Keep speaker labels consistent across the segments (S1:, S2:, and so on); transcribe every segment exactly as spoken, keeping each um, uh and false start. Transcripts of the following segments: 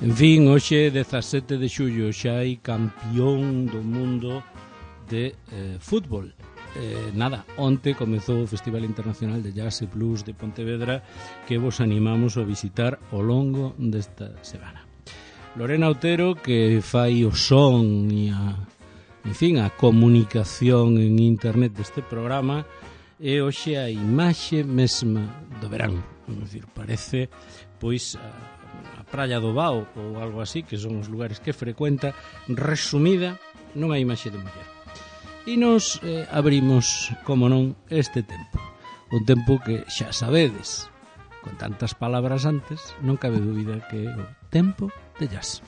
S1: En fin, hoxe dezasete de xullo xa hai campión do mundo de eh, fútbol. Eh, nada, onte comezou o Festival Internacional de Jazz e Blues de Pontevedra, que vos animamos a visitar ao longo desta semana. Lorena Otero, que fai o son e a, en fin, a comunicación en internet deste programa, e hoxe a imaxe mesma do verán. É dicir, parece pois a, a Praia do Bao ou algo así, que son os lugares que frecuenta, resumida nunha imaxe de muller. E nos eh, abrimos, como non, este tempo. Un tempo que xa sabedes, con tantas palabras antes, non cabe dúbida que é o tempo de jazz.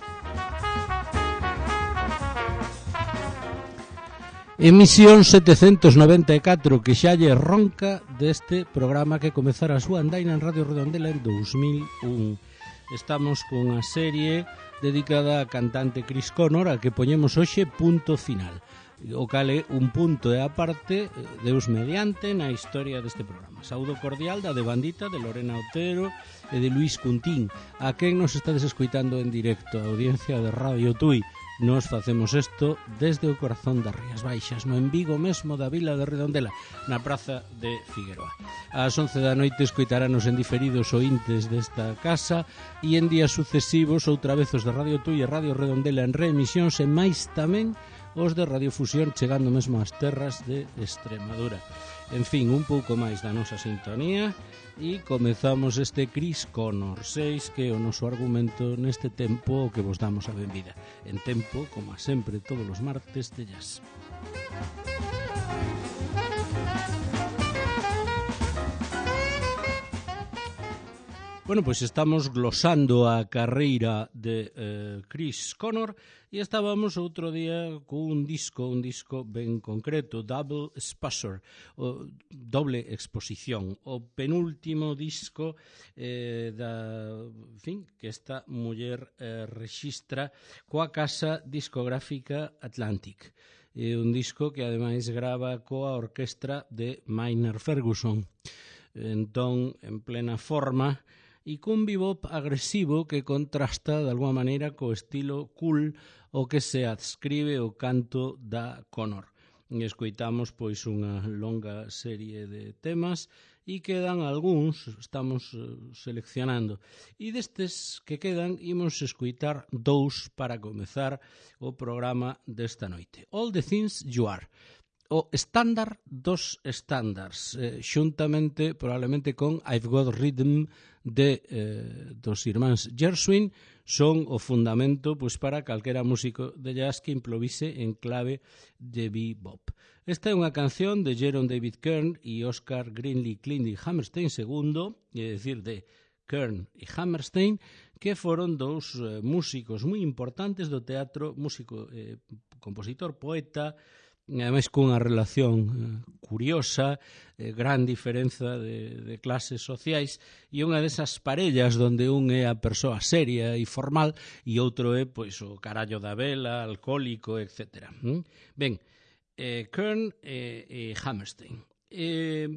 S1: Emisión setecentos noventa e catro, que xa lle ronca deste programa que comezara a súa andaina en Radio Redondela en dous mil un. Estamos cunha serie dedicada á cantante Chris Connor, a que poñemos hoxe punto final. O cale un punto e aparte, Deus mediante, na historia deste programa. Saúdo cordial da de Bandita, de Lorena Otero e de Luis Cuntín, a quen nos estades escoitando en directo, a audiencia de Radio Tui. Nos facemos isto desde o corazón das Rías Baixas, no en Vigo mesmo da vila de Redondela, na praza de Figueroa. Ás once da noite escoitarános en diferidos ointes desta casa e en días sucesivos outra vez os de Radio Tui e Radio Redondela en reemisións e máis tamén os de Radiofusión chegando mesmo ás terras de Extremadura. En fin, un pouco máis da nosa sintonía e comezamos este Chris Connor seis, que é o noso argumento neste tempo que vos damos a benvida. En tempo, como a sempre, todos os martes de jazz. Bueno, pois estamos glosando a carreira de eh, Chris Connor e estábamos outro día cun disco, un disco ben concreto, Double Exposure, o doble exposición, o penúltimo disco eh, da, en fin, que esta muller eh, rexistra coa casa discográfica Atlantic. É un disco que ademais grava coa orquestra de Maynard Ferguson. Entón, en plena forma, e cun bebop agresivo que contrasta de alguma maneira co estilo cool o que se adscribe o canto da Connor. E escoitamos pois unha longa serie de temas e quedan algúns, estamos seleccionando. E destes que quedan, imos escoitar dous para comezar o programa desta noite. All the Things You Are, o estándar dos estándares, eh, xuntamente probablemente con I've Got Rhythm de eh, dos irmáns Gershwin, son o fundamento pois, para calquera músico de jazz que improvise en clave de bebop. Esta é unha canción de Jerome David Kern e Oscar Greenlee Clindy Hammerstein segundo, é dicir, de Kern e Hammerstein, que foron dous eh, músicos moi importantes do teatro, músico, eh, compositor, poeta, e ademais cunha relación eh, curiosa, eh, gran diferenza de, de clases sociais, e unha desas parellas donde un é a persoa seria e formal e outro é pois o carallo da vela, alcohólico, etcétera. ¿Mm? Ben, eh, Kern e eh, eh, Hammerstein. Eh,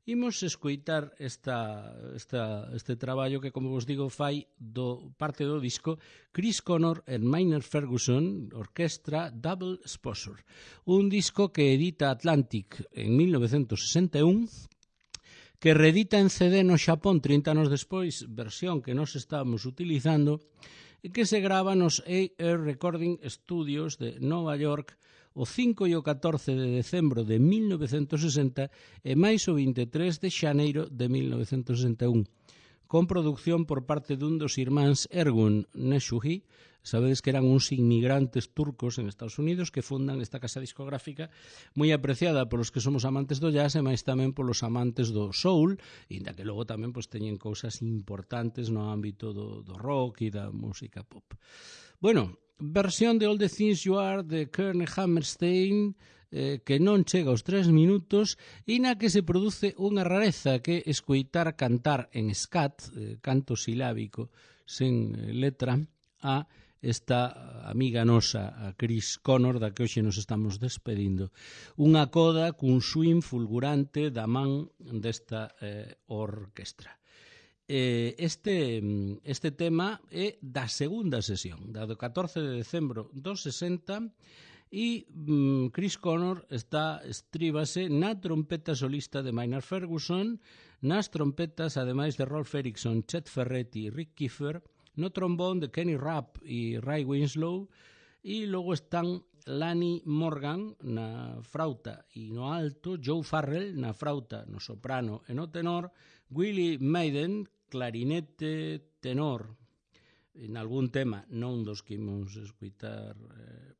S1: imos escoitar esta, esta, este traballo que, como vos digo, fai do, parte do disco Chris Connor and Maynard Ferguson, orquestra Double Exposure, un disco que edita Atlantic en mil novecentos sesenta e un, que reedita en C D no Xapón trinta anos despois, versión que nós estábamos utilizando, e que se grava nos A R Recording Studios de Nova York o cinco e o catorce de decembro de mil novecentos sesenta e máis o vinte e tres de xaneiro de mil novecentos sesenta e un, con produción por parte dun dos irmáns Ergun Neshuhi. Sabedes que eran uns inmigrantes turcos en Estados Unidos que fundan esta casa discográfica moi apreciada polos que somos amantes do jazz e máis tamén polos amantes do soul, inda que logo tamén pois, teñen cousas importantes no ámbito do, do rock e da música pop. Bueno, versión de All the Things You Are de Kern e Hammerstein, eh, que non chega aos tres minutos e na que se produce unha rareza, que escoitar cantar en scat, eh, canto silábico sen eh, letra, a esta amiga nosa, a Chris Connor, da que hoxe nos estamos despedindo. Unha coda cun swing fulgurante da man desta eh, orquestra. eh, este, este tema é da segunda sesión, da do catorce de decembro do sesenta, e mm, Chris Connor está estríbase na trompeta solista de Maynard Ferguson, nas trompetas, ademais de Rolf Erickson, Chet Ferretti e Rick Kiefer, no trombón de Kenny Rapp e Ray Winslow, e logo están Lanny Morgan na frauta e no alto, Joe Farrell na frauta, no soprano e no tenor, Willie Maiden, clarinete, tenor, en algún tema, non dos que imos escuitar,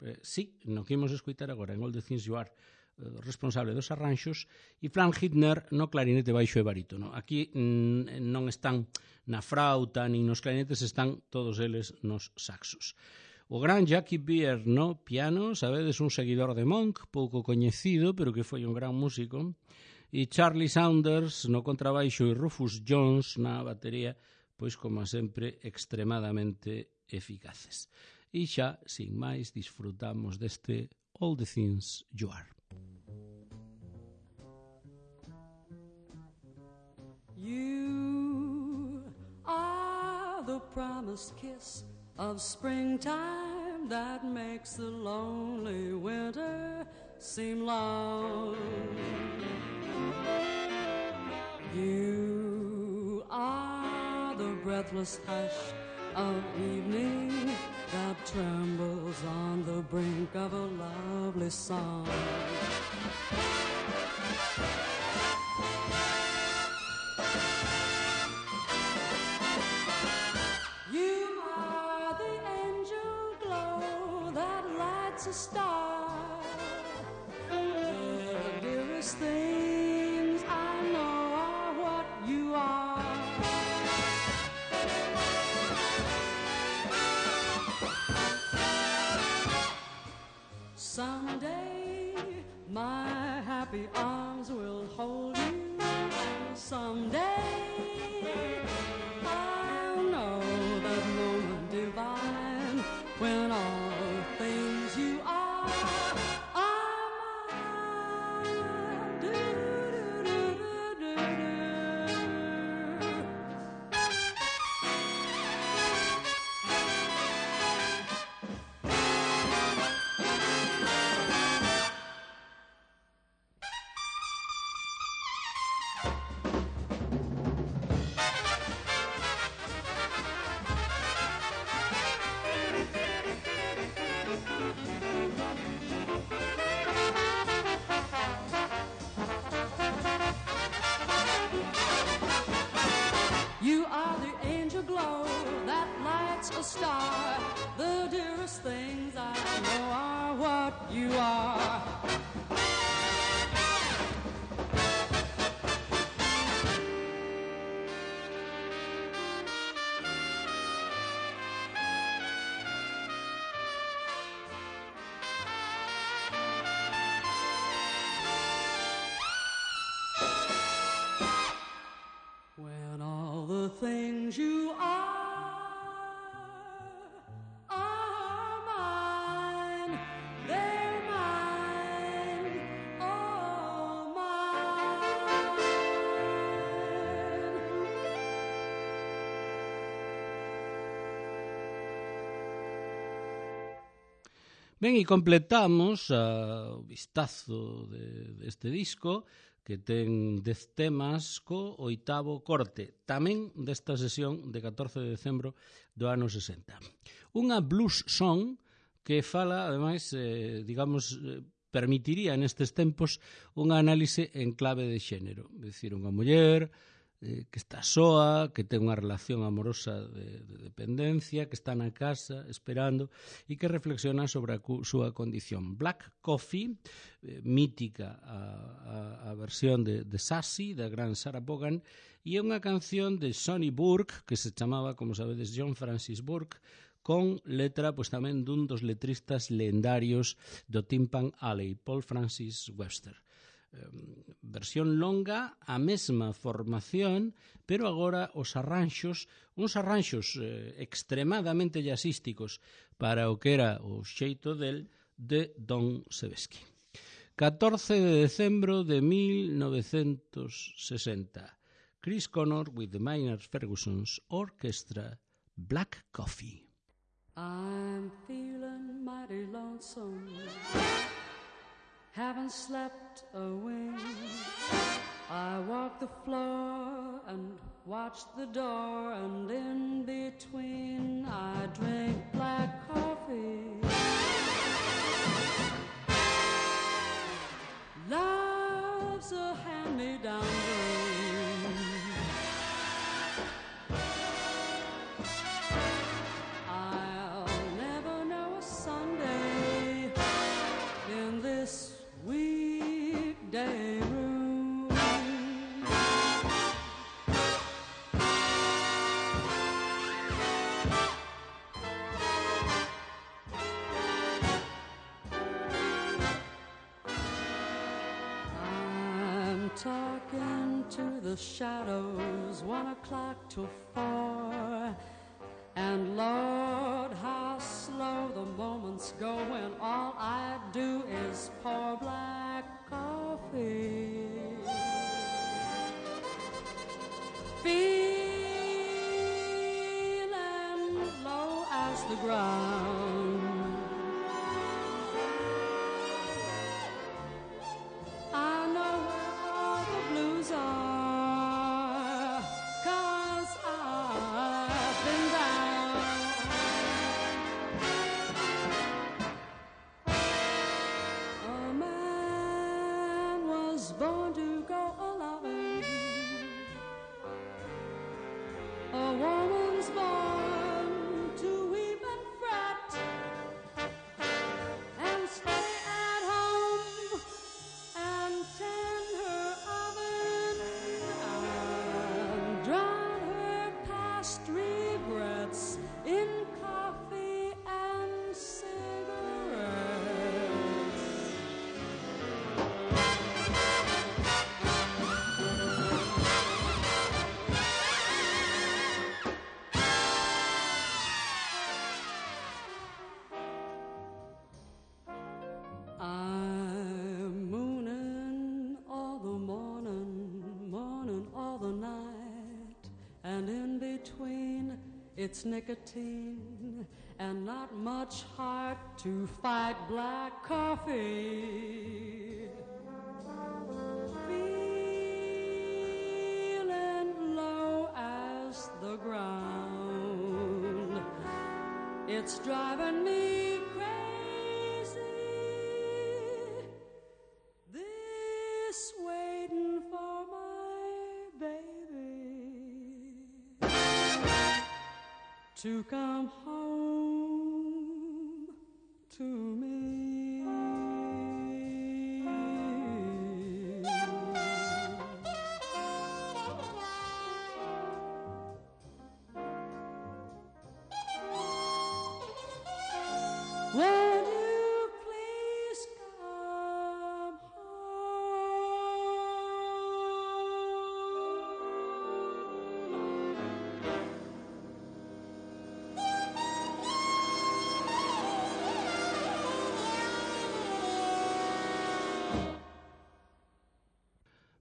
S1: eh, sí, no que imos escuitar agora, en All the Things You Are, eh, responsable dos arranxos, e Frank Hitner no clarinete baixo e barítono. Aquí mm, non están na frauta, nin nos clarinetes, están todos eles nos saxos. O gran Jackie Beer no piano, sabedes, un seguidor de Monk, pouco coñecido, pero que foi un gran músico, e Charlie Saunders no contrabaixo e Rufus Jones na batería, pois, como sempre, extremadamente eficaces. E xa, sin máis, disfrutamos deste All the Things You Are.
S2: You are the promised kiss of springtime that makes the lonely winter seem long. You are the breathless hush of evening that trembles on the brink of a lovely song. You are the angel glow that lights a star, the dearest things I know are what you are. Someday my happy arms will hold you. Someday I'll know that moment divine when all the things you are are mine. Do, do, do, do, do, do. You are the angel glow that lights a star. The dearest things I know are what you are. When all the things you are are mine, they're mine, oh mine.
S1: Ben, e completamos uh, o vistazo de, deste disco, que ten dez temas co oitavo corte, tamén desta sesión de catorce de decembro do ano sesenta. Unha blues song que fala, ademais, eh, digamos, eh, permitiría nestes tempos unha análise en clave de xénero. É dicir, unha muller eh, que está soa, que ten unha relación amorosa de, de dependencia, que está na casa esperando e que reflexiona sobre a cu, súa condición. Black Coffee, eh, mítica a, a, a versión de, de Sassy, da gran Sarah Vaughan, e unha canción de Sonny Burke, que se chamaba, como sabedes, John Francis Burke, con letra pois tamén dun dos letristas lendarios do Tin Pan Alley, Paul Francis Webster. Eh, versión longa, a mesma formación, pero agora os arranxos, uns arranxos eh, extremadamente jazzísticos para o que era o xeito del de Don Sebesky. catorce de decembro de mil novecentos sesenta. Chris Connor with the Maynard Ferguson's Orchestra, Black Coffee.
S2: I'm feeling mighty lonesome, haven't slept a wink. I walk the floor and watch the door, and in between I drink black coffee. Love's a hand-me-down dream. I'll never know a Sunday in this weekday room. I'm talking to the shadows, one o'clock till four. And Lord, how slow the moments go when all I do is pour black coffee. Feeling low as the ground, I know where all the blues are, 'cause I've been down. A man was born to go a-loving, a woman's born to weep and fret, and stay at home and tend her oven and drown her past regrets in coffee and cigarettes. I'm mooning all the morning, morning all the night, and in between it's nicotine and not much heart to fight black coffee. Feeling low as the ground, it's driving me crazy, this waiting for my baby to come home to me. Won't you please come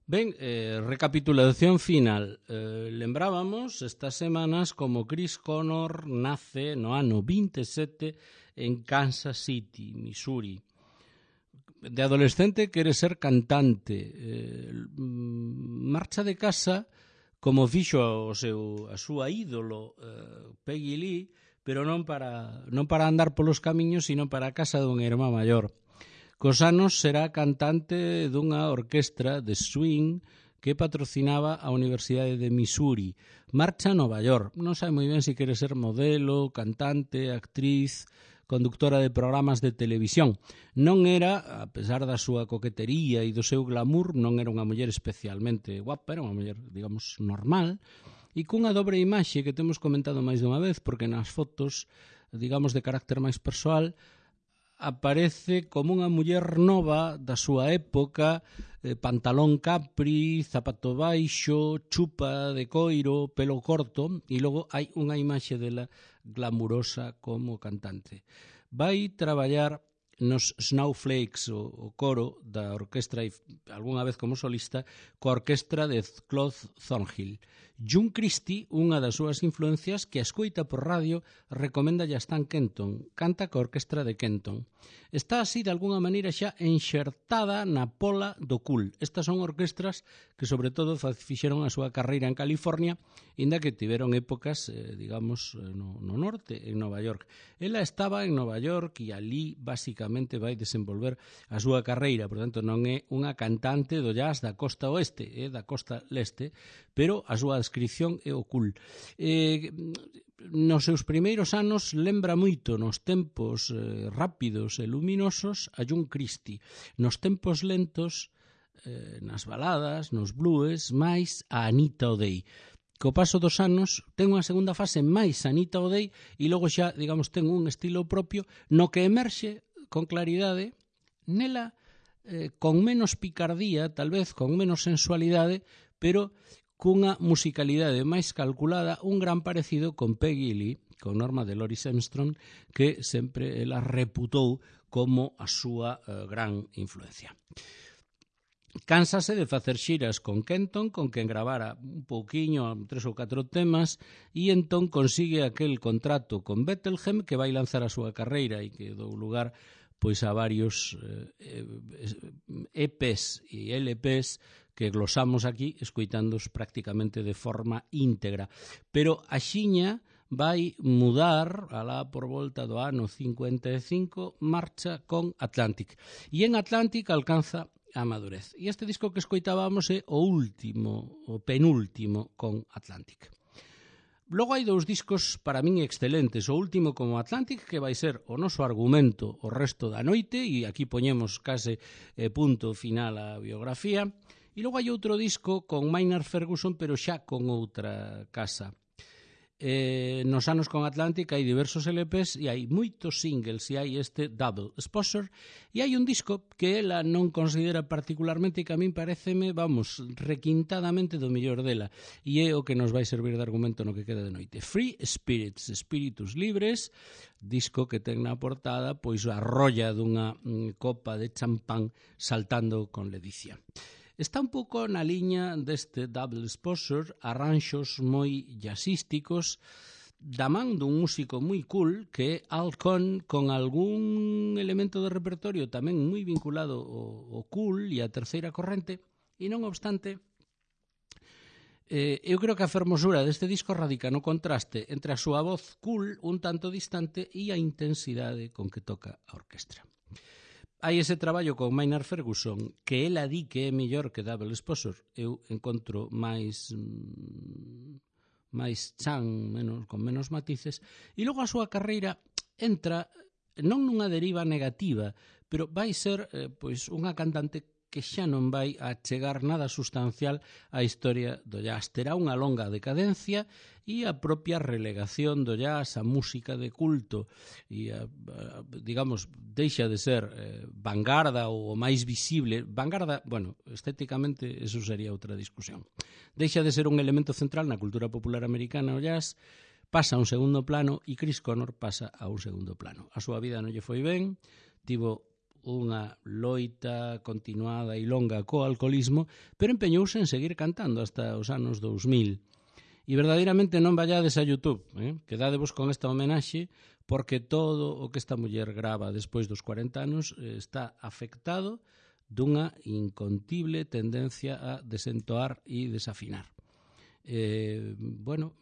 S1: Ben, eh, recapitulación final. Eh, lembrábamos estas semanas como Chris Connor nace no ano vinte e sete en Kansas City, Missouri. De adolescente quere ser cantante. Eh, marcha de casa como fixo o seu, a súa ídolo eh, Peggy Lee, pero non para, non para andar polos camiños, sino para a casa dun irmán maior. Cos anos será cantante dunha orquestra de swing que patrocinaba a Universidade de Missouri. Marcha a Nova York. Non sabe moi ben se quere ser modelo, cantante, actriz, conductora de programas de televisión. Non era, a pesar da súa coquetería e do seu glamour, non era unha muller especialmente guapa, era unha muller, digamos, normal, e cunha dobre imaxe que temos comentado máis dunha vez, porque nas fotos, digamos, de carácter máis persoal, aparece como unha muller nova da súa época, eh, pantalón capri, zapato baixo, chupa de coiro, pelo corto, e logo hai unha imaxe dela glamurosa como cantante. Vai traballar nos Snowflakes, o, o coro da orquestra, e algunha vez como solista, coa orquestra de Claude Thornhill. June Christie, unha das súas influencias, que a escoita por radio, recomenda a Stan Kenton, canta coa orquestra de Kenton. Está así, de alguna maneira, xa enxertada na pola do cool. Estas son orquestras que, sobre todo, fixeron a súa carreira en California, inda que tiveron épocas, eh, digamos, no, no norte, en Nova York. Ela estaba en Nova York e ali, basicamente, vai desenvolver a súa carreira. Por tanto, non é unha cantante do jazz da costa oeste, é da costa leste, pero a súa descripción é o cool. Eh, nos seus primeiros anos lembra moito nos tempos eh, rápidos e luminosos a June Christie. Nos tempos lentos, eh, nas baladas, nos blues, máis a Anita O'Day. Co paso dos anos ten unha segunda fase máis Anita O'Day e logo xa, digamos, ten un estilo propio no que emerxe con claridade nela, eh, con menos picardía, tal vez con menos sensualidade, pero cunha musicalidade máis calculada, un gran parecido con Peggy Lee, con Norma de Loris Armstrong, que sempre ela reputou como a súa eh, gran influencia. Cánsase de facer xiras con Kenton, con quen gravara un pouquiño, tres ou catro temas, e entón consigue aquel contrato con Bethlehem que vai lanzar a súa carreira e que dou lugar pois a varios eh, E Pes e L Pes que glosamos aquí, escoitándos prácticamente de forma íntegra. Pero a xiña vai mudar, alá por volta do ano cincuenta e cinco, marcha con Atlantic. E en Atlantic alcanza a madurez. E este disco que escoitábamos é o último, o penúltimo con Atlantic. Logo hai dous discos para min excelentes. O último como Atlantic, que vai ser o noso argumento o resto da noite, e aquí poñemos case eh, punto final á biografía. E logo hai outro disco con Maynard Ferguson, pero xa con outra casa. Eh, nos anos con Atlantic hai diversos L Pes e hai moitos singles, e hai este Double Exposure, e hai un disco que ela non considera particularmente e que a min pareceme, vamos, requintadamente do mellor dela, e é o que nos vai servir de argumento no que queda de noite. Free Spirits, Espíritus Libres, disco que ten na portada pois a rolla dunha mm, copa de champán saltando con ledicia. Está un pouco na liña deste Double Exposure, arranxos moi jazzísticos, da man dun músico moi cool que é Al Cohn, con algún elemento de repertorio tamén moi vinculado ao, ao cool e a terceira corrente, e non obstante, eh, eu creo que a fermosura deste disco radica no contraste entre a súa voz cool, un tanto distante, e a intensidade con que toca a orquestra. Hai ese traballo con Maynard Ferguson que ela di que é mellor que Double Exposure. Eu encontro máis máis chan, menos, con menos matices, e logo a súa carreira entra non nunha deriva negativa, pero vai ser eh, pois unha cantante que xa non vai a chegar nada sustancial á historia do jazz. Terá unha longa decadencia e a propia relegación do jazz, a música de culto, e a, a, digamos, deixa de ser eh, vanguarda ou o máis visible. Vanguarda, bueno, estéticamente eso sería outra discusión. Deixa de ser un elemento central na cultura popular americana o jazz, pasa a un segundo plano e Chris Connor pasa a un segundo plano. A súa vida non lle foi ben, tivo unha loita continuada e longa co alcoholismo, pero empeñouse en seguir cantando hasta os anos dous mil. E verdadeiramente non vallades a YouTube, eh? Quedadevos con esta homenaxe, porque todo o que esta muller grava despois dos cuarenta anos eh, está afectado dunha incontible tendencia a desentoar e desafinar. Eh, bueno,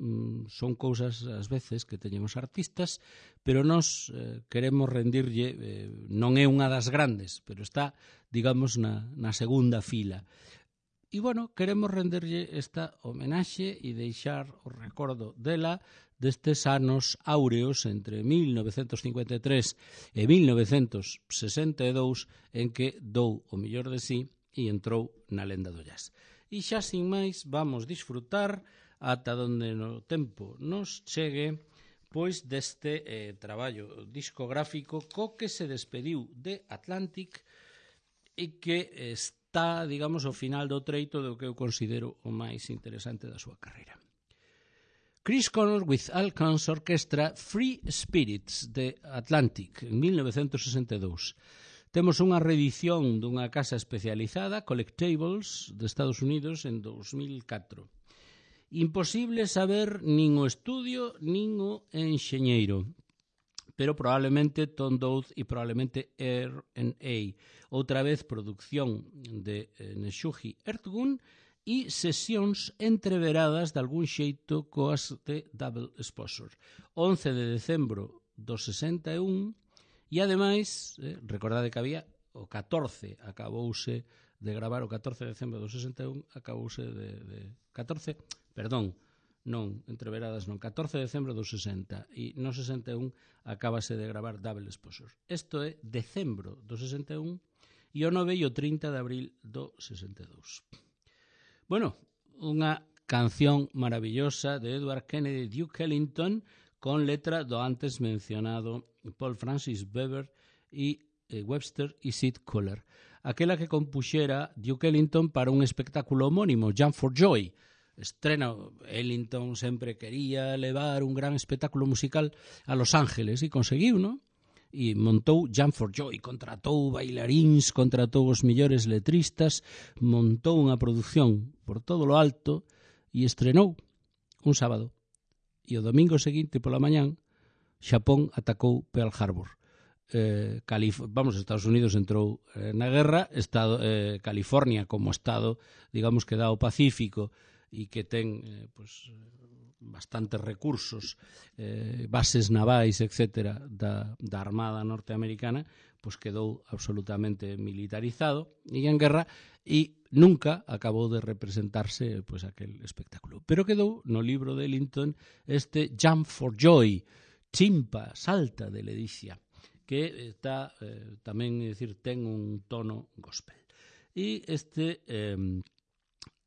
S1: son cousas ás veces que teñen os artistas, pero nós eh, queremos rendirlle, eh, non é unha das grandes, pero está, digamos, na, na segunda fila. E, bueno, queremos renderlle esta homenaxe e deixar o recordo dela destes anos áureos entre mil novecentos cincuenta e tres e mil novecentos sesenta e dous, en que dou o mellor de sí e entrou na lenda do jazz. E xa sin máis vamos disfrutar ata donde no tempo nos chegue pois deste eh, traballo discográfico co que se despediu de Atlantic e que está, digamos, ao final do treito do que eu considero o máis interesante da súa carreira. Chris Connor with Alcan's Orchestra Free Spirits de Atlantic en mil novecentos sesenta e dous. Temos unha reedición dunha casa especializada, Collectables, de Estados Unidos en dos mil catro. Imposible saber nin o estudio nin o enxeñeiro, pero probablemente Tom Dowd e probablemente R and A. Outra vez producción de eh, Neshugi Ertgun e sesións entreveradas de algún xeito coas de Double Exposure. once de decembro do sesenta e un e ademais, eh, recordade que había o catorce, acabouse de gravar o catorce de decembro do sesenta e un, acabouse de, de catorce, perdón, non, entreveradas non, catorce de decembro do sesenta e no sesenta e un acabase de gravar Double Exposure. Isto é decembro do sesenta e un e o nove e o trinta de abril do sesenta e dous. Bueno, unha canción maravillosa de Edward Kennedy Duke Ellington con letra do antes mencionado Paul Francis Weber e eh, Webster e Sid Kohler. Aquela que compuxera Duke Ellington para un espectáculo homónimo, Jump for Joy. Estrena, Ellington sempre quería levar un gran espectáculo musical a Los Ángeles e conseguiu, non? E montou Jump for Joy, contratou bailaríns, contratou os millores letristas, montou unha produción por todo lo alto e estrenou un sábado. E o domingo seguinte pola mañán, Xapón atacou Pearl Harbor. Eh, Calif- vamos, Estados Unidos entrou eh, na guerra, estado, eh, California como estado, digamos que dá o Pacífico e que ten eh, pues, bastantes recursos, eh, bases navais, etcétera, da, da Armada norteamericana, pues quedou absolutamente militarizado e en guerra e nunca acabou de representarse pues, aquel espectáculo. Pero quedou no libro de Ellington este Jump for Joy, chimpa, salta de ledicia, que está eh, tamén, é dicir, ten un tono gospel. E este, eh,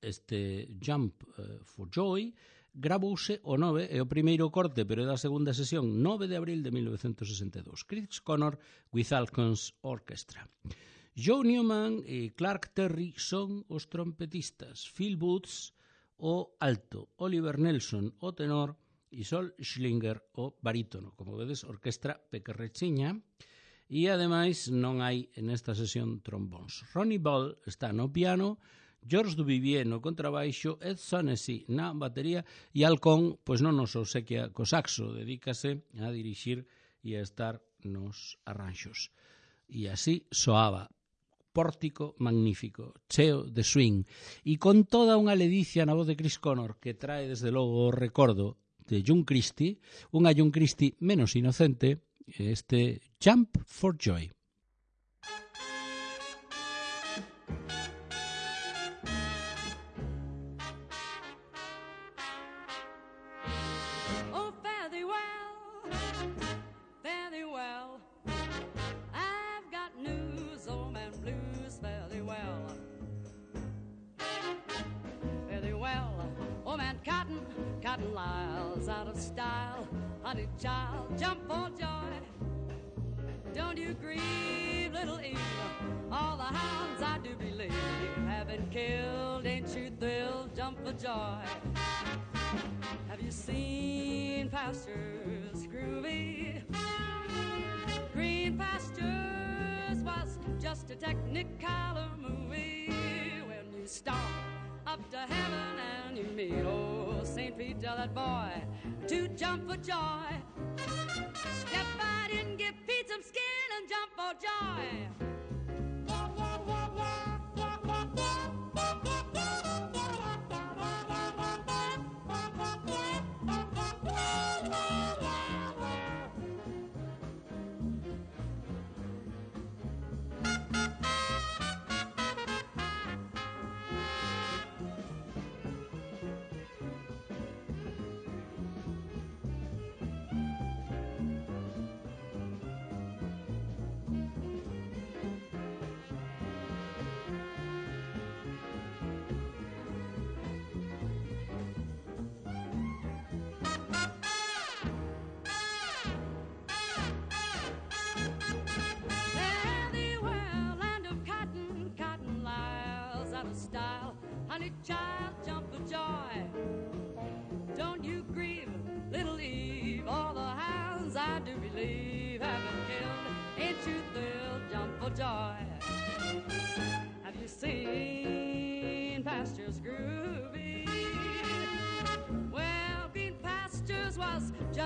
S1: este Jump eh, for Joy gravouse o nove, é o primeiro corte, pero é da segunda sesión, nove de abril de mil novecentos sesenta e dous. Chris Connor with Alcan's Orchestra. Joe Newman e Clark Terry son os trompetistas, Phil Booth o alto, Oliver Nelson o tenor e Sol Schlinger o barítono. Como vedes, orquestra pequerrechiña e ademais non hai en esta sesión trombóns. Ronnie Ball está no piano, George Duvivier no contrabaixo, Ed Sonessy na batería e Alcón, pois non nos obsequia co saxo, dedícase a dirixir e a estar nos arranxos. E así soaba, pórtico magnífico, cheo de swing, e con toda unha ledicia na voz de Chris Connor que trae desde logo o recordo de June Christie, unha June Christie menos inocente, este Jump for Joy.
S2: Cotton Lyle's out of style, honey child, jump for joy. Don't you grieve, little Eve, all the hounds I do believe have been killed, ain't you thrilled, jump for joy. Have you seen pastures groovy? Green Pastures was just a Technicolor movie when you stomp up to heaven and you meet old Saint Pete, tell that boy to jump for joy. Step right in, give Pete some skin and jump for joy. Style, honey child, jump for joy. Don't you grieve,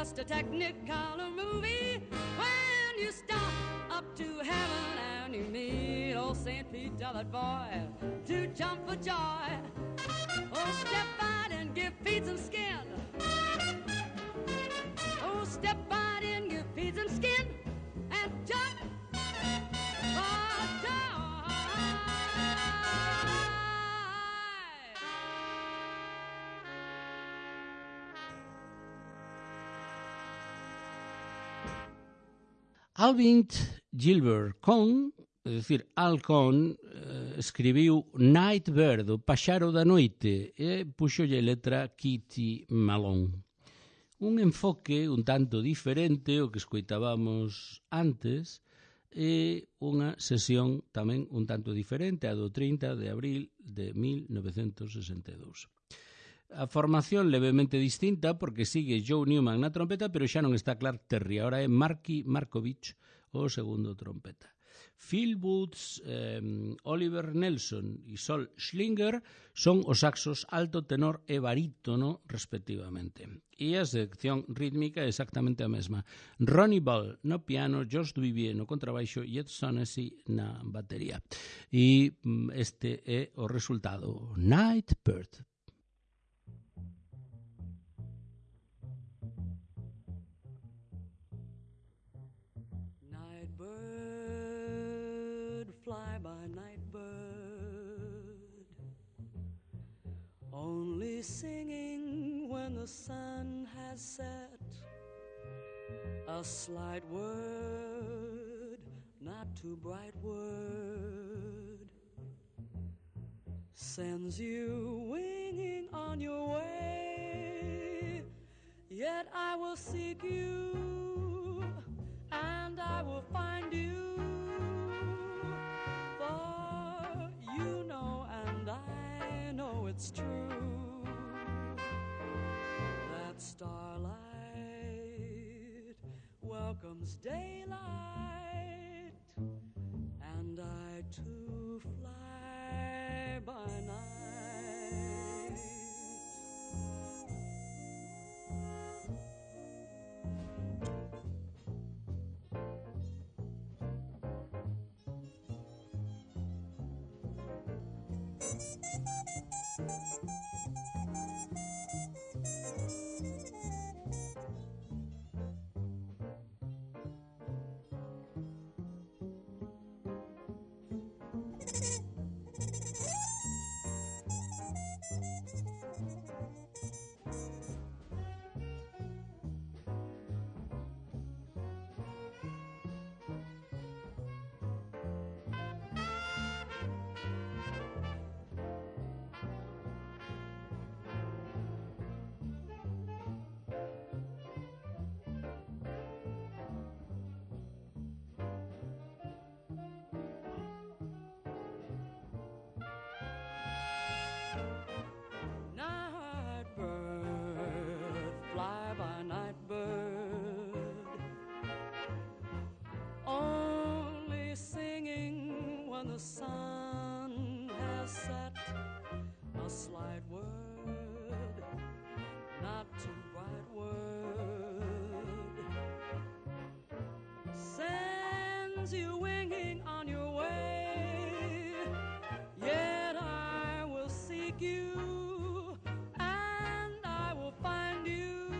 S2: just a technicolor movie when you stop up to heaven and you meet old Saint Pete, that boy, to jump for joy. Oh, step out and give Pete some skin. Oh, step out and give Pete some skin and jump for joy.
S1: Alvin Gilbert Conn, é dicir, Al Conn, eh, escribiu Nightbird, o paxaro da noite, e puxolle letra Kitty Malone. Un enfoque un tanto diferente ao que escoitábamos antes e unha sesión tamén un tanto diferente, a do trinta de abril de mil novecentos sesenta e dous. A formación levemente distinta porque sigue Joe Newman na trompeta, pero xa non está Clark Terry, agora é Marky Markovich o segundo trompeta. Phil Woods, eh, Oliver Nelson e Sol Schlinger son os saxos alto, tenor e barítono respectivamente. E a sección rítmica é exactamente a mesma. Ronnie Ball no piano, George Duvivier no contrabaixo e Ed Sonessy na batería. E este é o resultado. Nightbird.
S2: Fly by night bird, only singing when the sun has set. A slight word, not too bright word, sends you winging on your way. Yet I will seek you and I will find you. You know and I know it's true that starlight welcomes daylight, and I too fly by night. The sun has set, a slight word, not too bright word, sends you winging on your way. Yet I will seek you and I will find you,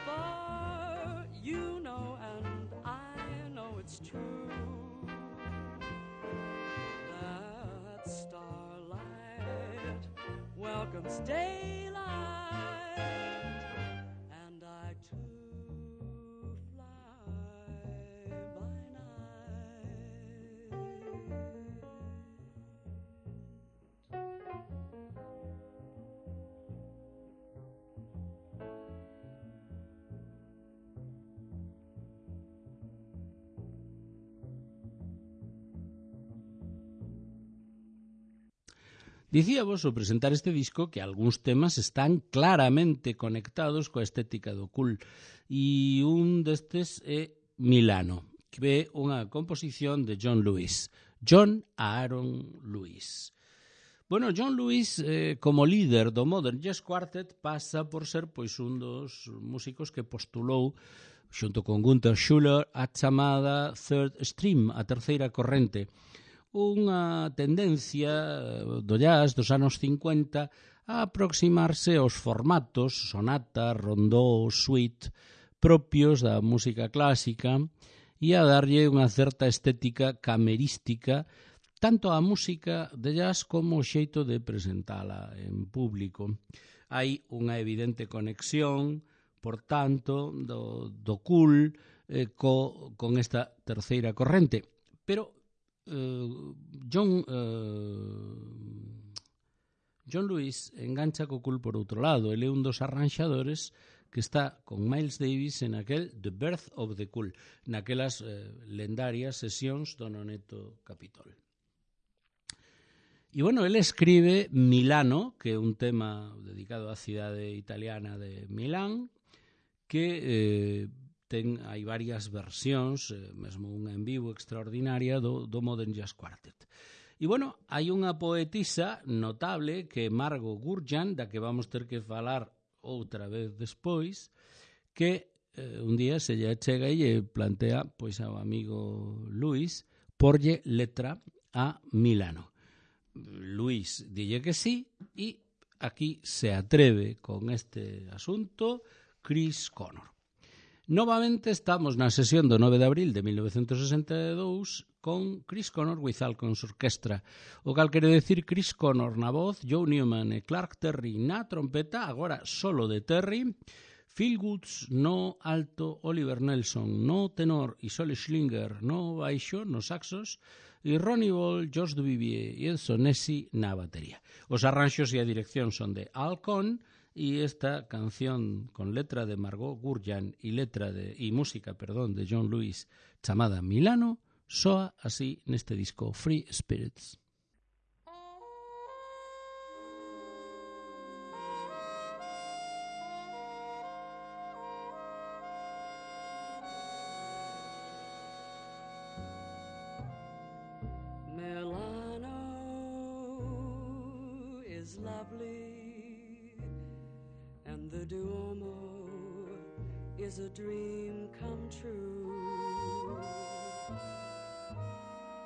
S2: for you know and I know it's true. Welcomes daylight, and I too fly by night.
S1: Dicíavos ao presentar este disco que algúns temas están claramente conectados coa estética do cool, e un destes é Milano, que é unha composición de John Lewis, John Aaron Lewis. Bueno, John Lewis, eh, como líder do Modern Jazz Quartet, pasa por ser pois un dos músicos que postulou xunto con Gunther Schuller a chamada Third Stream, a terceira corrente, unha tendencia do jazz dos anos cincuenta a aproximarse aos formatos sonata, rondó, suite propios da música clásica e a darlle unha certa estética camerística tanto a música de jazz como o xeito de presentala en público. Hai unha evidente conexión, por tanto, do, do cool eh, co, con esta terceira corrente. Pero eh, John, eh, John Lewis engancha co cool por outro lado. Ele é un dos arranxadores que está con Miles Davis en aquel The Birth of the Cool, naquelas eh, lendarias sesións do Noneto Capitol. E, bueno, ele escribe Milano, que é un tema dedicado á cidade italiana de Milán, que eh, ten, hai varias versións, eh, mesmo unha en vivo extraordinaria do, do Modern Jazz Quartet. E, bueno, hai unha poetisa notable que é Margot Gurjan, da que vamos ter que falar outra vez despois, que eh, un día se lle chega e lle plantea pois ao amigo Luis porlle letra a Milano. Luis dille que sí e aquí se atreve con este asunto Chris Connor. Novamente estamos na sesión do nove de abril de mil novecentos sesenta e dous con Chris Connor with Alcon's Orquestra, o cal quere decir Chris Connor na voz, Joe Newman e Clark Terry na trompeta, agora solo de Terry, Phil Woods no alto, Oliver Nelson no tenor e Solly Schlinger no baixo, nos saxos, e Ronnie Ball, George Duvivier e Edson Nessi na batería. Os arranxos e a dirección son de Al Cohn e esta canción con letra de Margot Gurjan e letra de e música, perdón, de John Lewis chamada Milano soa así neste disco Free Spirits.
S2: The Duomo is a dream come true.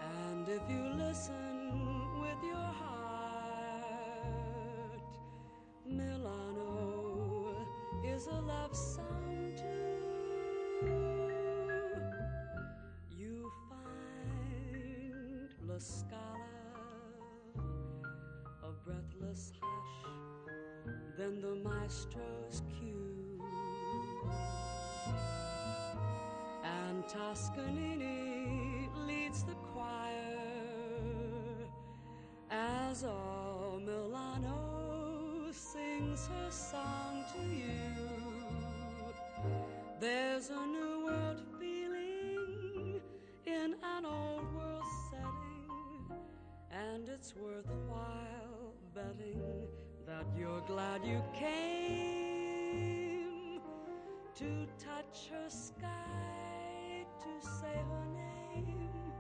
S2: And if you listen with your heart, Milano is a love song too. You find La Scala, a breathless hush, then the maestro's cue, and Toscanini leads the choir as all Milano sings her song to you. There's a new world feeling in an old world setting, and it's worthwhile betting that you're glad you came to touch her sky, to say her name.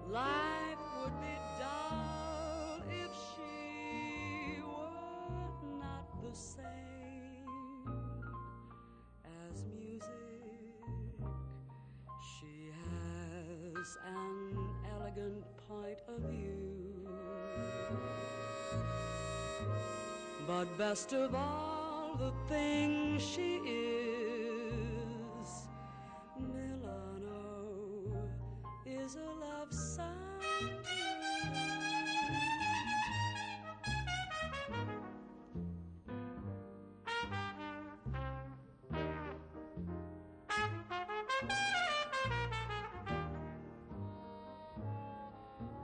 S2: Life would be dull if she were not the same as music. She has an elegant point of view, but best of all, the thing she is, Milano is a love song.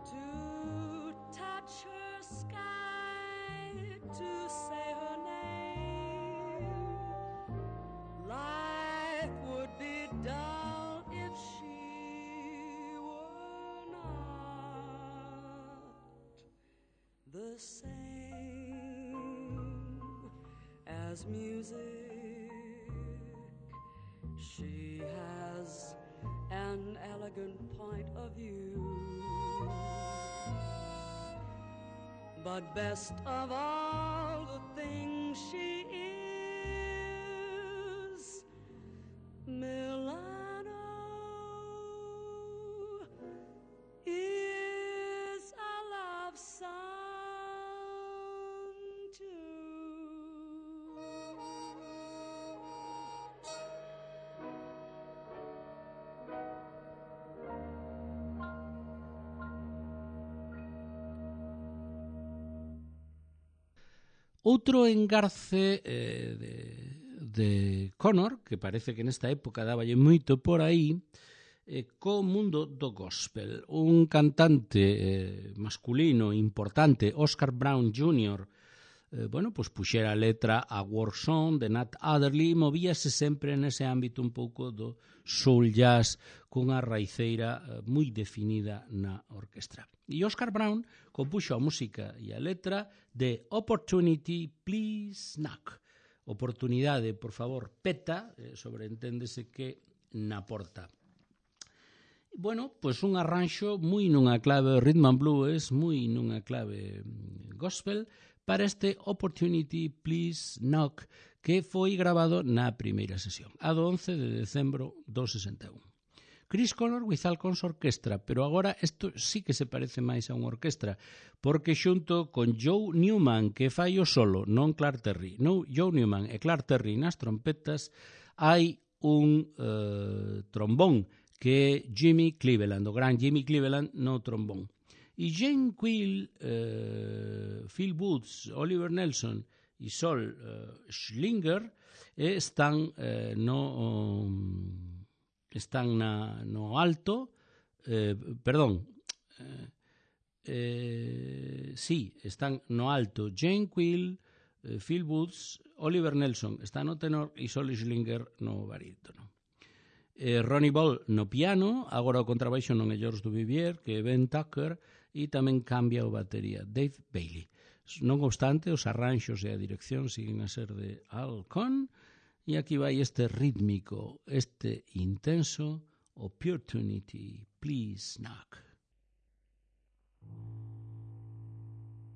S2: To touch her sky, to say her name. Life would be dull if she were not the same as music. She has an elegant point of view, but best of all the things she is, Milano is a love song too.
S1: Outro engarce eh, de, de Connor, que parece que nesta época dáballe moito por aí, eh, co mundo do gospel. Un cantante eh, masculino importante, Oscar Brown júnior, eh, bueno, pues puxera a letra a War Song de Nat Adderley e movíase sempre nese ámbito un pouco do soul jazz cunha raiceira eh, moi definida na orquestra. E Oscar Brown compuxo a música e a letra de Opportunity, Please Knock. Oportunidade, por favor, peta, eh, sobreenténdese que na porta. Bueno, pois un arranxo moi nunha clave rhythm and blues, moi nunha clave gospel, para este Opportunity, Please Knock, que foi grabado na primeira sesión, a do once de decembro do sesenta e un. Chris Connor with Alcon's Orquestra, pero agora isto sí que se parece máis a unha orquestra, porque xunto con Joe Newman, que fai o solo, non Clark Terry, no, Joe Newman e Clark Terry nas trompetas, hai un uh, trombón, que é Jimmy Cleveland, o gran Jimmy Cleveland no trombón. E Jane Quill, uh, Phil Woods, Oliver Nelson e Sol uh, Schlinger eh, están uh, no... Um, están na, no alto, eh, perdón, eh, eh, sí, están no alto Jane Quill, eh, Phil Woods, Oliver Nelson está no tenor e Sol Schlinger no barítono. Eh, Ronnie Ball no piano, agora o contrabaixo non é George Duvivier, que é Ben Tucker, e tamén cambia o batería Dave Bailey. Non obstante, os arranxos e a dirección siguen a ser de Al Cohn. E aquí vai este rítmico, este intenso Opportunity, Please Knock.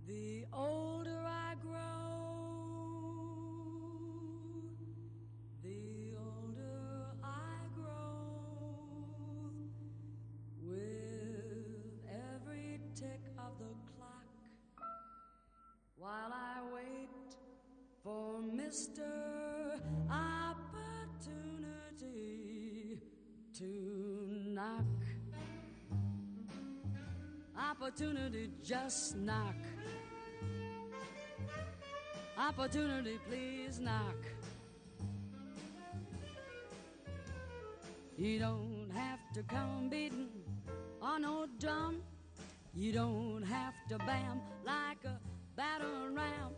S2: The older I grow, the older I grow, with every tick of the clock, while I wait for Mister Opportunity to knock. Opportunity, just knock. Opportunity, please knock. You don't have to come beating on no drum. You don't have to bam like a battering ram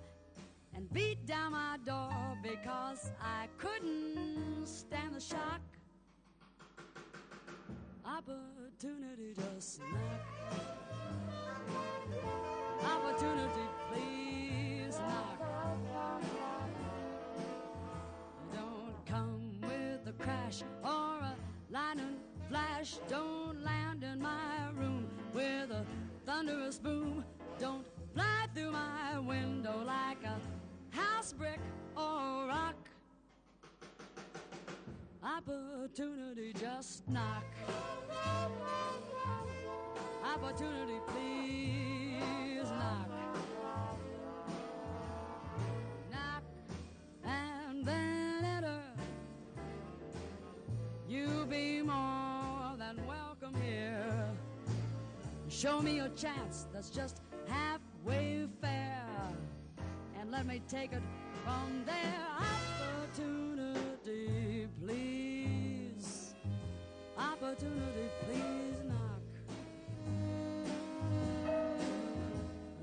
S2: and beat down my door because I couldn't stand the shock. Opportunity, just knock. Opportunity, please knock. Don't come with a crash or a lightning flash. Don't land in my room with a thunderous boom. Don't fly through my window like a house brick or rock. Opportunity, just knock. Opportunity, please knock. Knock and then enter. You'll be more than welcome here. Show me a chance that's just halfway fair, and let me take it from there. Opportunity, please. Opportunity, please knock.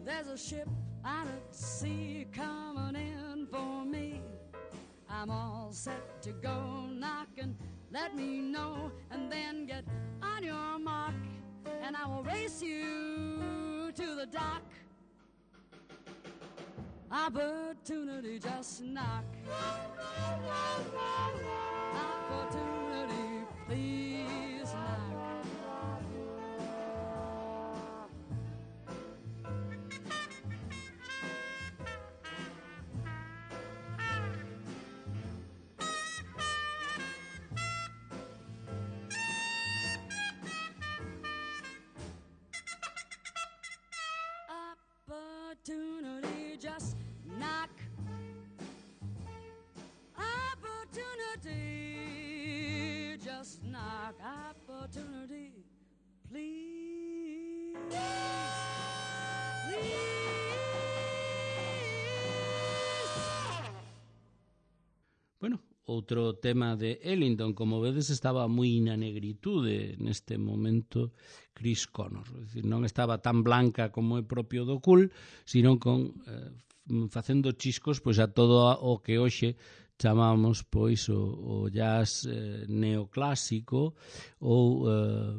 S2: There's a ship out at sea coming in for me. I'm all set to go. Knock and let me know, and then get on your mark, and I will race you to the dock. Opportunity, just knock. Opportunity, please knock.
S1: outro tema de Ellington. Como vedes, estaba moi na negritude neste momento Chris Connor. É dicir, non estaba tan blanca como é propio do cool, sino con eh, facendo chiscos pois a todo o que hoxe chamamos pois o, o jazz eh, neoclásico ou eh,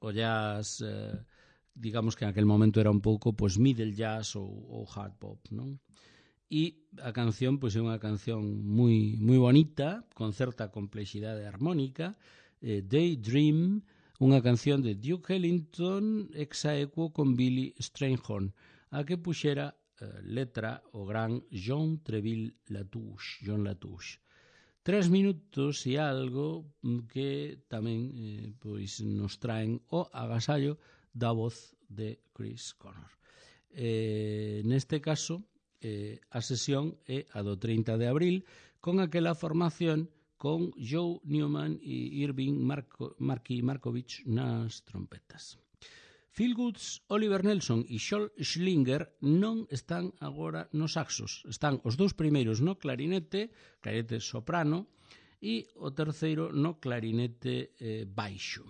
S1: o jazz eh, digamos que en aquel momento era un pouco pois middle jazz ou, ou hard pop, non? E a canción pois é unha canción moi moi bonita, con certa complexidade armónica, eh, Daydream, unha canción de Duke Ellington ex aequo con Billy Strayhorn, a que puxera letra o gran John Treville Latouche, John Latouche. Tres minutos e algo que tamén eh, pois nos traen o agasallo da voz de Chris Connor. Eh, neste caso, eh, a sesión é a do trinta de abril, con aquela formación con Joe Newman e Irving Marco, Marky Markovich nas trompetas. Phil Goods, Oliver Nelson e Scholl Schlinger non están agora nos saxos. Están os dous primeiros no clarinete, clarinete soprano, e o terceiro no clarinete eh, baixo.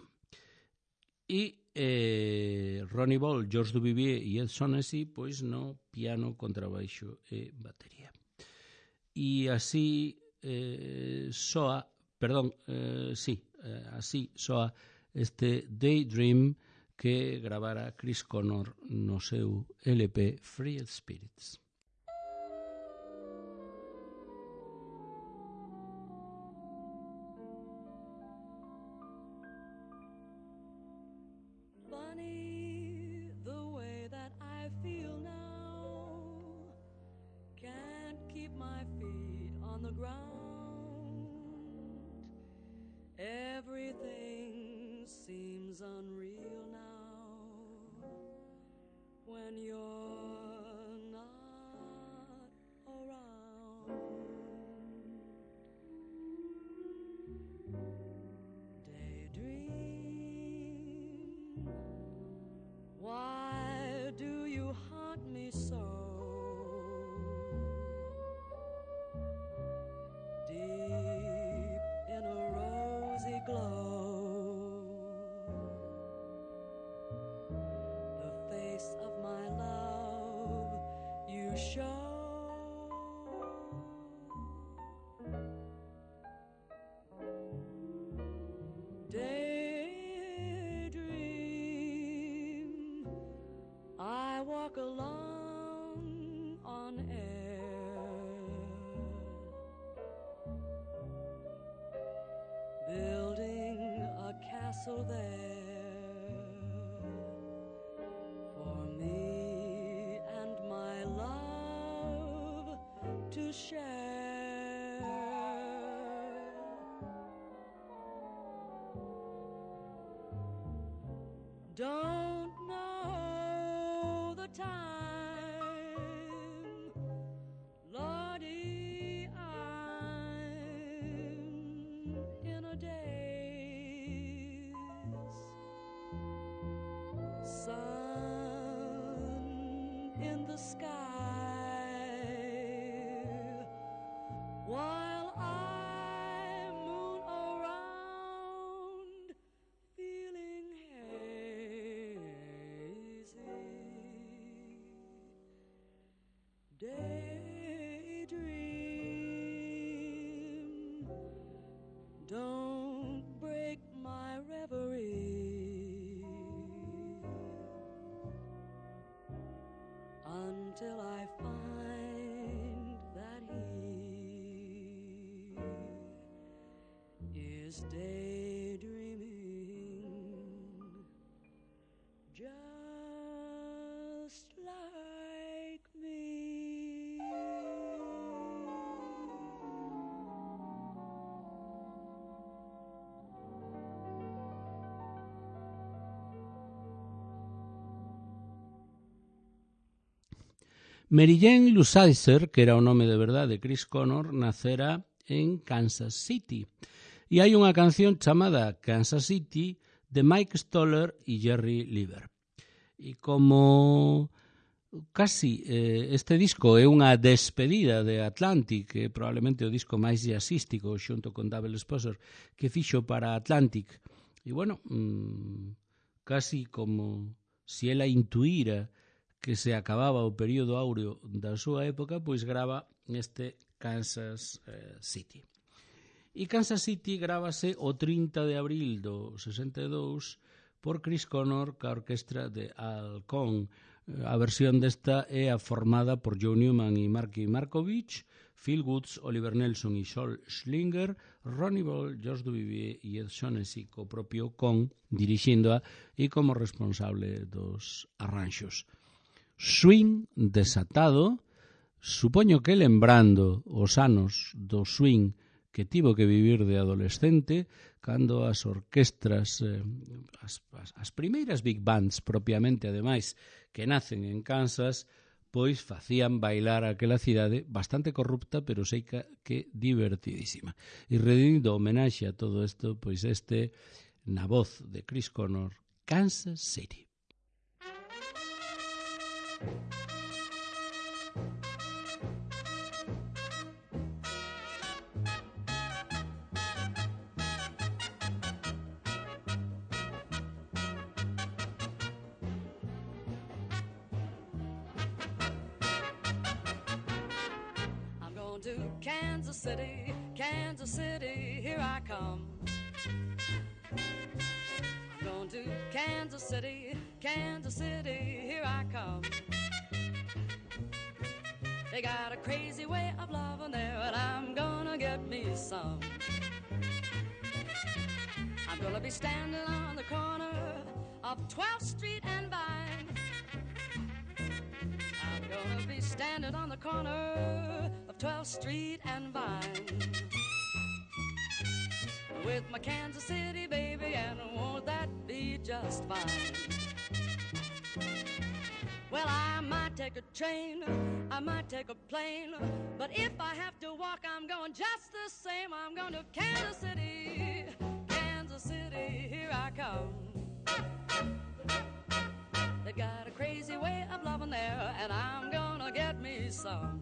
S1: E eh, Ronnie Ball, George Duvivier e Ed Sonessy pois no piano, contrabaixo e batería. E así eh, soa, perdón, eh, sí, eh, así soa este Daydream que gravara Chris Connor no seu L P Free Spirits.
S2: Funny the way that I feel now, can't keep my feet on the ground, everything seems unreal now when you're not around. Daydream, why do you haunt me so? Deep in a rosy glow, of my love you show. Daydream, I walk along on air, building a castle there to share. Don't know the time, Lordy, I'm in a daze. Sun in the sky, while I moon around, feeling hazy. Daydream, don't break my reverie until I find that he is daydreaming just like me.
S1: Mary Jane Lusicer, que era o nome de verdade de Chris Connor, nacera en Kansas City. E hai unha canción chamada Kansas City de Mike Stoller e Jerry Lieber. E como casi eh, este disco é unha despedida de Atlantic, que é probablemente o disco máis jazzístico xunto con Double Exposure que fixo para Atlantic. E bueno, mmm, casi como se ela intuíra que se acababa o período áureo da súa época, pois grava este Kansas eh, City. E Kansas City grábase o trinta de abril do sesenta e dous por Chris Connor ca orquestra de Al Cohn. A versión desta é a formada por Joe Newman e Marky Markovich, Phil Woods, Oliver Nelson e Sol Schlinger, Ronnie Ball, George Duvivier e Ed Shaughnessy, co propio Cohn dirixíndoa e como responsable dos arranxos. Swing desatado, supoño que lembrando os anos do swing que tivo que vivir de adolescente, cando as orquestras, eh, as, as, as primeiras big bands propiamente, ademais, que nacen en Kansas, pois facían bailar aquela cidade bastante corrupta, pero sei que, que divertidísima. E rendindo homenaxe a todo isto, pois este, na voz de Chris Connor, Kansas City.
S2: To Kansas City, Kansas City, here I come. I'm going to Kansas City, Kansas City, here I come. They got a crazy way of loving there, and I'm gonna get me some. I'm gonna be standing on the corner of twelfth Street and Vine. I'm gonna be standing on the corner of twelfth Street and Vine with my Kansas City baby, and won't that be just fine? Well, I might take a train, I might take a plane, but if I have to walk, I'm going just the same. I'm going to Kansas City, Kansas City, here I come. They got a crazy way of loving there, and I'm gonna get me some.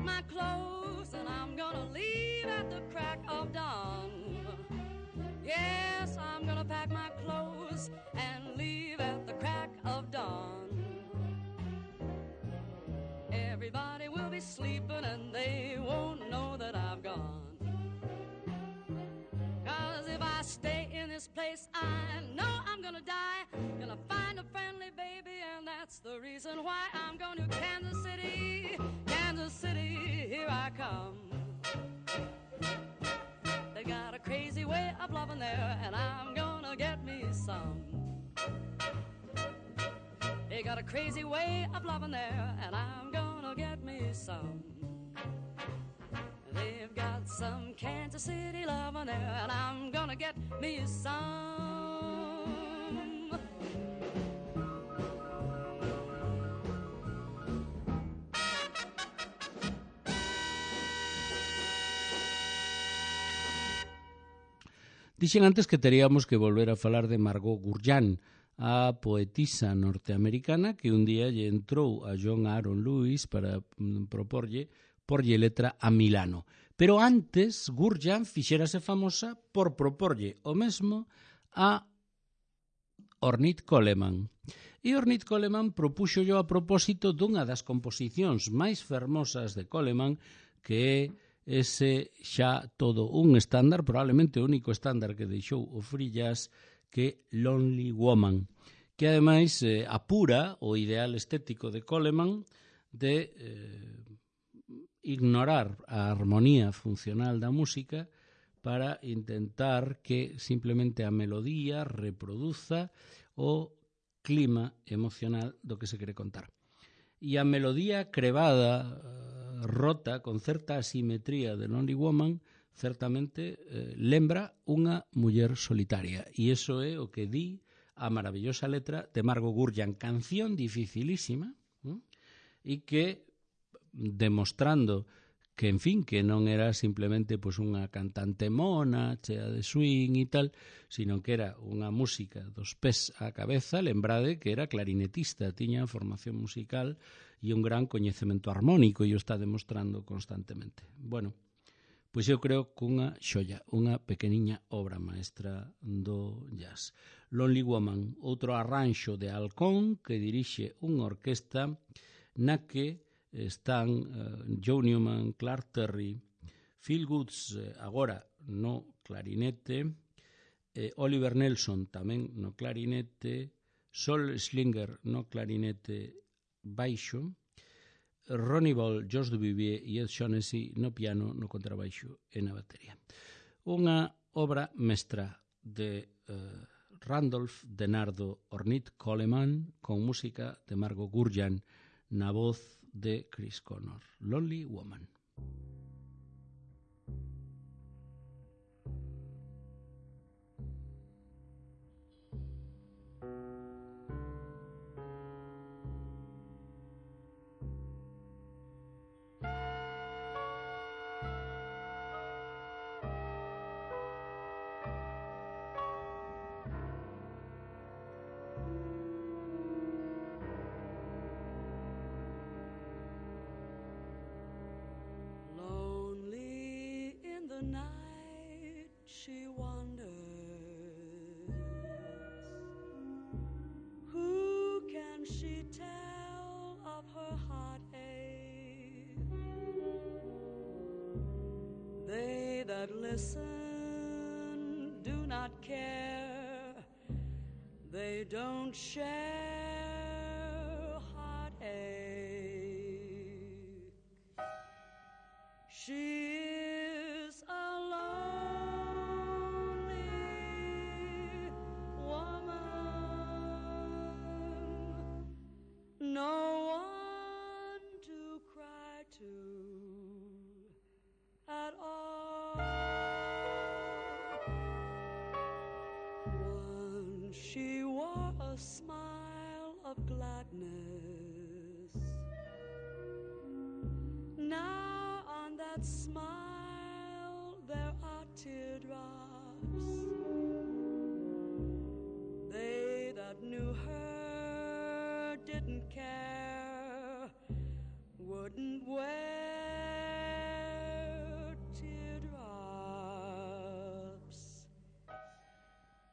S2: My clothes and I'm gonna leave at the crack of dawn. Yes, I'm gonna pack my clothes and leave at the crack of dawn. Everybody will be sleeping and they won't know that I've gone. 'Cause if I stay in this place, I know I'm gonna die. Gonna find a friendly baby, and that's the reason why I'm going to Kansas City, Kansas City, here I come. They got a crazy way of loving there, and I'm gonna get me some. They got a crazy way of loving there, and I'm gonna get me some. They've got some Kansas City loving there, and I'm gonna get me some.
S1: Dixen antes que teríamos que volver a falar de Margot Gurján, a poetisa norteamericana que un día lle entrou a John Aaron Lewis para proporlle porlle letra a Milano. Pero antes, Gurján fixérase famosa por proporlle o mesmo a Ornette Coleman. E Ornette Coleman propuxo yo a propósito dunha das composicións máis fermosas de Coleman, que é ese xa todo un estándar, probablemente o único estándar que deixou o free jazz, que Lonely Woman, que ademais eh, apura o ideal estético de Coleman de eh, ignorar a armonía funcional da música para intentar que simplemente a melodía reproduza o clima emocional do que se quere contar. E a melodía crevada, rota, con certa asimetría de Lonely Woman, certamente eh, lembra unha muller solitaria. E iso é o que di a maravillosa letra de Margot Gurján, canción dificilísima, ¿eh? E que, demostrando que, en fin, que non era simplemente pues, unha cantante mona, chea de swing e tal, sino que era unha música dos pés á cabeza, lembrade que era clarinetista, tiña formación musical e un gran coñecemento armónico, e o está demostrando constantemente. Bueno, pois eu creo que unha xoia, unha pequeniña obra maestra do jazz. Lonely Woman, outro arranxo de Alcón que dirixe unha orquesta na que están uh, Joe Newman, Clark Terry, Phil Woods, eh, agora no clarinete, eh, Oliver Nelson tamén no clarinete, Sol Slinger no clarinete baixo, Ronnie Ball, George Duvivier e Ed Shaughnessy no piano, no contrabaixo e na batería. Unha obra mestra de eh, Randolph Denardo Ornette Coleman con música de Margot Gurján na voz de Chris Connor. Lonely Woman.
S2: The night she wanders, who can she tell of her heartache? They that listen do not care, they don't share heartache. She no one to cry to at all. Once she wore a smile of gladness. Now on that smile there are teardrops. They that knew her didn't care, wouldn't wear teardrops.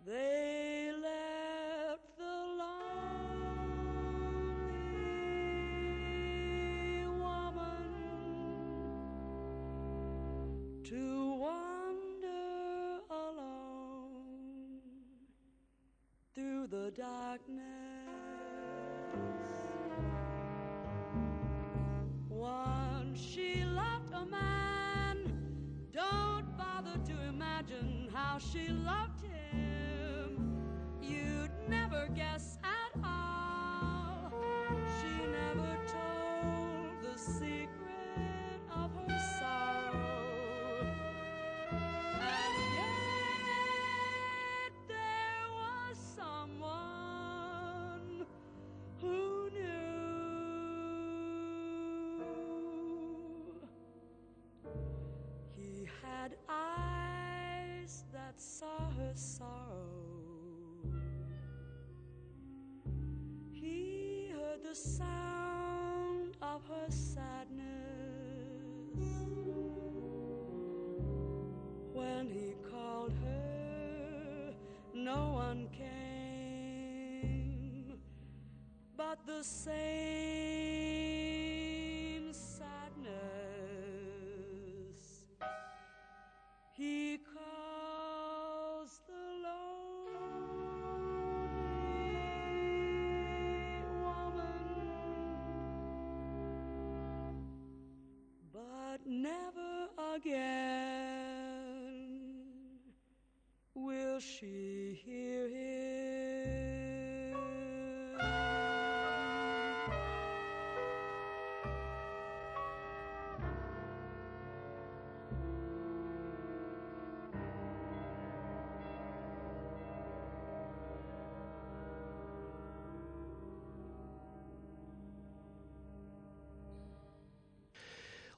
S2: They left the lonely woman to wander alone through the darkness. Once she loved a man, don't bother to imagine how she loved him. You'd never guess at all. She never told the secret of her sorrow. And yet there was someone who knew. He had eyes that that saw her sorrow. He heard the sound of her sadness. When he called her, no one came, but the same sadness. He calls the lonely woman, but never again will she hear him.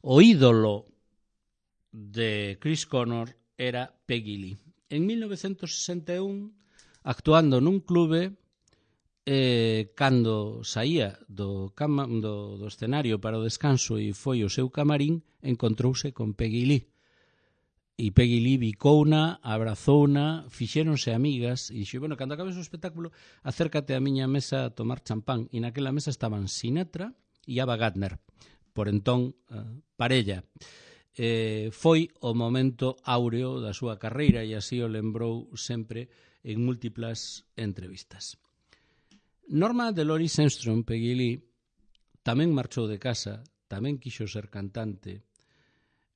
S1: O ídolo de Chris Connor era Peggy Lee. En mil novecientos sesenta e un, actuando nun clube, eh, cando saía do, cama, do, do escenario para o descanso e foi o seu camarín, encontrouse con Peggy Lee. E Peggy Lee bicouna, abrazouna, fixéronse amigas, e dixo, bueno, cando acabes o espectáculo, acércate á miña mesa a tomar champán. E naquela mesa estaban Sinatra e Ava Gardner, por entón uh, parella. Eh, foi o momento áureo da súa carreira e así o lembrou sempre en múltiplas entrevistas. Norma Delores Armstrong, Peggy Lee, tamén marchou de casa, tamén quixo ser cantante.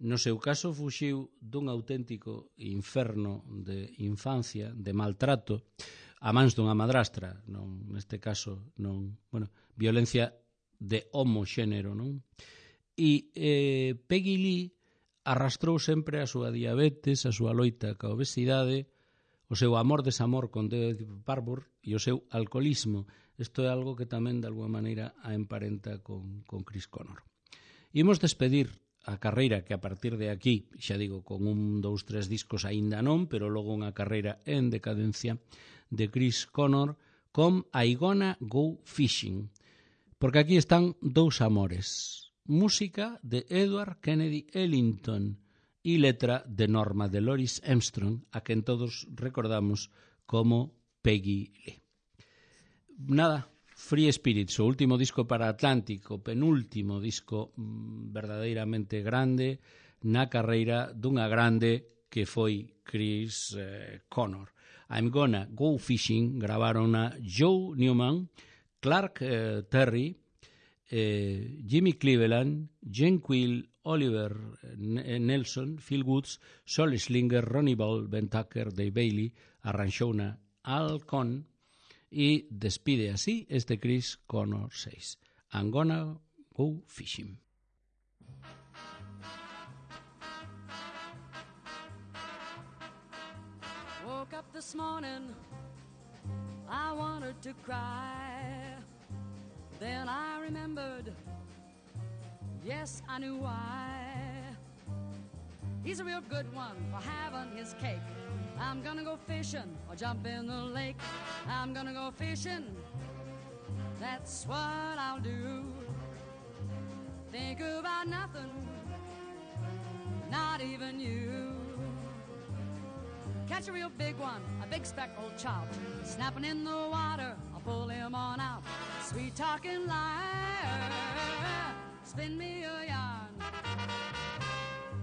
S1: No seu caso fuxiu dun auténtico inferno de infancia, de maltrato, a mans dunha madrastra, non, neste caso, non, bueno, violencia de homoxénero, non? E eh, Peggy Lee arrastrou sempre a súa diabetes, a súa loita ca obesidade, o seu amor-desamor con David Barbour e o seu alcoholismo. Isto é algo que tamén, de alguma maneira, a emparenta con, con Chris Connor. Imos despedir a carreira que a partir de aquí, xa digo, con un, dous, tres discos aínda non, pero logo unha carreira en decadencia de Chris Connor con I Gonna Go Fishing. Porque aquí están dous amores. Música de Edward Kennedy Ellington e letra de Norma Delores Armstrong, a quen todos recordamos como Peggy Lee. Nada, Free Spirits, o último disco para Atlantic, o penúltimo disco mmm, verdadeiramente grande na carreira dunha grande que foi Chris eh, Connor. I'm Gonna Go Fishing gravaron a Joe Newman, Clark eh, Terry, Eh, Jimmy Cleveland, Gene Quill, Oliver Nelson, Phil Woods, Sol Slinger, Ronnie Ball, Ben Tucker, Dave Bailey, arranxouna Al Cohn e despide así este Chris Connor seis. I'm Gonna Go Fishing.
S2: Woke up this morning, I wanted to cry. Then I remembered, yes, I knew why. He's a real good one for having his cake. I'm gonna go fishing or jump in the lake. I'm gonna go fishing, that's what I'll do. Think about nothing, not even you. Catch a real big one, a big speckled trout, snapping in the water, I'll pull him on out. Sweet talking liar, spin me a yarn,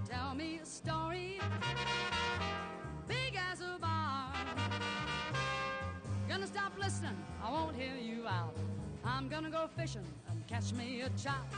S2: tell me a story, big as a barn. Gonna stop listening, I won't hear you out. I'm gonna go fishing and catch me a trout.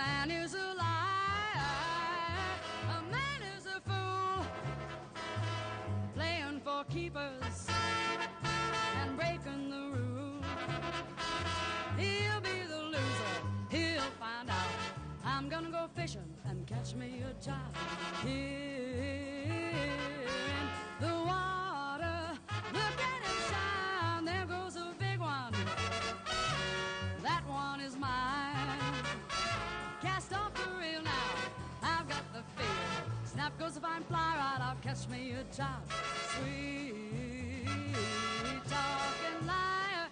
S2: man is a liar, a man is a fool, playing for keepers and breaking the rules. He'll be the loser, he'll find out. I'm gonna go fishing and catch me a child. Here in the water, look at him shine, there goes a big one. That one is mine. Cast off the reel now, I've got the feel. Snap goes a fine fly right, I'll catch me a child. Sweet talking liar,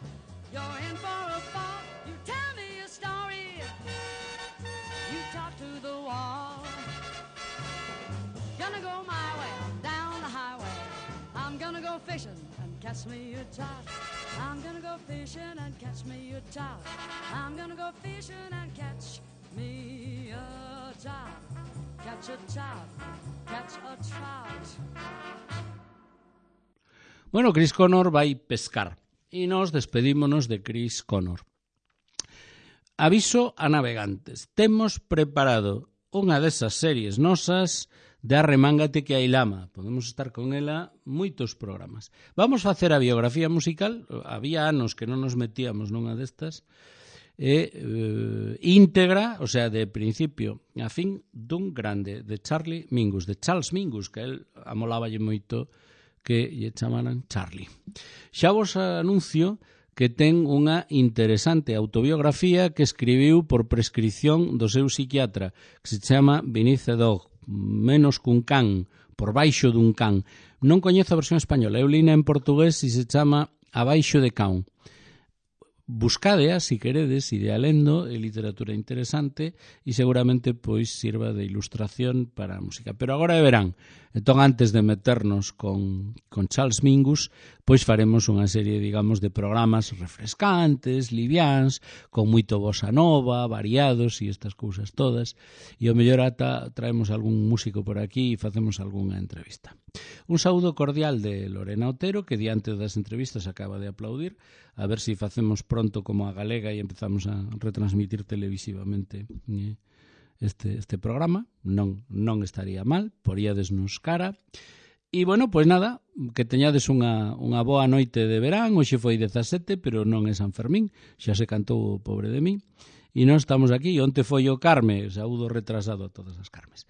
S2: you're in for a fall. You tell me a story, you talk to the wall. Gonna go my way, down the highway. I'm gonna go fishing and catch me a child. I'm gonna go fishing and catch me a child. I'm gonna go fishing and catch me a child. Catch a child, catch a trout.
S1: Bueno, Chris Connor vai pescar e nos despedímonos de Chris Connor. Aviso a navegantes, temos preparado unha desas series nosas de Arremángate que hai lama. Podemos estar con ela moitos programas. Vamos facer a biografía musical, había anos que non nos metíamos nunha destas, e eh, íntegra, o sea, de principio a fin dun grande, de Charlie Mingus, de Charles Mingus, que el amoláballe moito que lle chamaran Charlie. Xa vos anuncio que ten unha interesante autobiografía que escribiu por prescripción do seu psiquiatra, que se chama Beneath a Dog, menos cun can, por baixo dun can. Non coñezo a versión española, eu lina en portugués e se chama Abaixo de Can. Buscadea, si queredes, idea lendo, é literatura interesante e seguramente pois sirva de ilustración para a música. Pero agora verán, entón antes de meternos con, con Charles Mingus, pois faremos unha serie, digamos, de programas refrescantes, liviáns, con moito bossa nova, variados e estas cousas todas, e o mellor ata traemos algún músico por aquí e facemos algunha entrevista. Un saúdo cordial de Lorena Otero, que diante das entrevistas acaba de aplaudir, a ver se si facemos pronto como a Galega e empezamos a retransmitir televisivamente eh, este, este programa. Non, non estaría mal, poríadesnos cara. E, bueno, pois nada, que teñades unha, unha boa noite de verán. Hoxe foi dezasete, pero non é San Fermín, xa se cantou o pobre de mí. E non estamos aquí, onte foi o Carme, saúdo retrasado a todas as Carmes.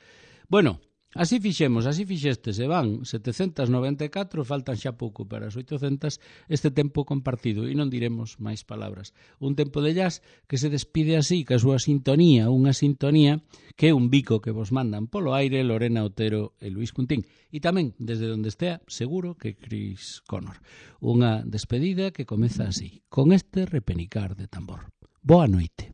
S1: Bueno, así fixemos, así fixestes, e van setecentas noventa e catro, faltan xa pouco para as oitocentas, este tempo compartido, e non diremos máis palabras. Un tempo de jazz que se despide así, que a súa sintonía, unha sintonía que é un bico que vos mandan polo aire Lorena Otero e Luis Cuntín. E tamén, desde onde estea, seguro que Chris Connor. Unha despedida que comeza así, con este repenicar de tambor. Boa noite.